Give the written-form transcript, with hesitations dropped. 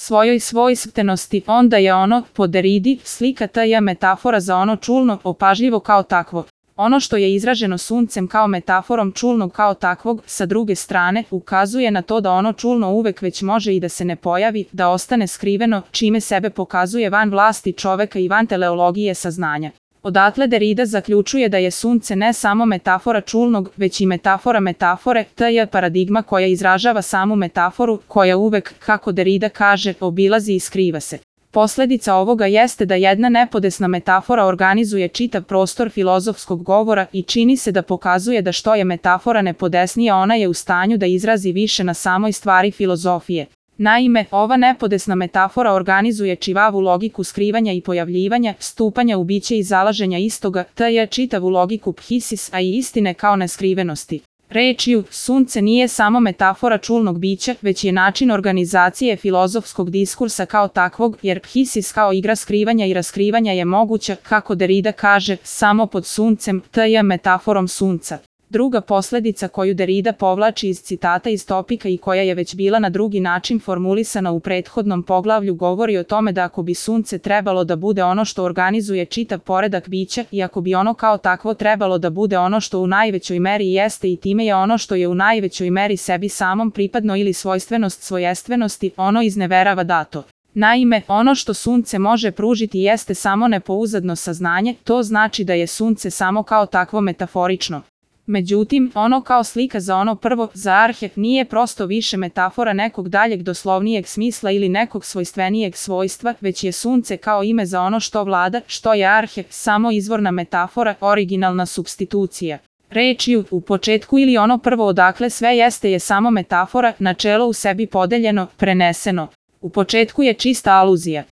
svojoj svojstvenosti, onda je ono, po Deridi, slika t.j. metafora za ono čulno, opažljivo kao takvo. Ono što je izraženo suncem kao metaforom čulnog kao takvog, sa druge strane, ukazuje na to da ono čulno uvek već može i da se ne pojavi, da ostane skriveno, čime sebe pokazuje van vlasti čoveka i van teleologije saznanja. Odatle Derida zaključuje da je sunce ne samo metafora čulnog, već i metafora metafore, t.j. paradigma koja izražava samu metaforu, koja uvek, kako Derida kaže, obilazi i skriva se. Posledica ovoga jeste da jedna nepodesna metafora organizuje čitav prostor filozofskog govora i čini se da pokazuje da što je metafora nepodesnija, ona je u stanju da izrazi više na samoj stvari filozofije. Naime, ova nepodesna metafora organizuje čivavu logiku skrivanja i pojavljivanja, stupanja u biće i zalaženja istoga, t.j. čitavu logiku phisis, a i istine kao neskrivenosti. Rečju, sunce nije samo metafora čulnog bića, već je način organizacije filozofskog diskursa kao takvog, jer phisis kao igra skrivanja i raskrivanja je moguća, kako Derida kaže, samo pod suncem, t.j. metaforom sunca. Druga posledica koju Derida povlači iz citata iz Topika i koja je već bila na drugi način formulisana u prethodnom poglavlju govori o tome da ako bi sunce trebalo da bude ono što organizuje čitav poredak bića i ako bi ono kao takvo trebalo da bude ono što u najvećoj meri jeste i time je ono što je u najvećoj meri sebi samom pripadno ili svojstvenost svojestvenosti, ono izneverava dato. Naime, ono što sunce može pružiti jeste samo nepouzdano saznanje, to znači da je sunce samo kao takvo metaforično. Međutim, ono kao slika za ono prvo, za arhet, nije prosto više metafora nekog daljeg doslovnijeg smisla ili nekog svojstvenijeg svojstva, već je sunce kao ime za ono što vlada, što je arhet, samo izvorna metafora, originalna supstitucija. Rečju, u početku ili ono prvo odakle sve jeste je samo metafora, načelo u sebi podeljeno, preneseno. U početku je čista aluzija.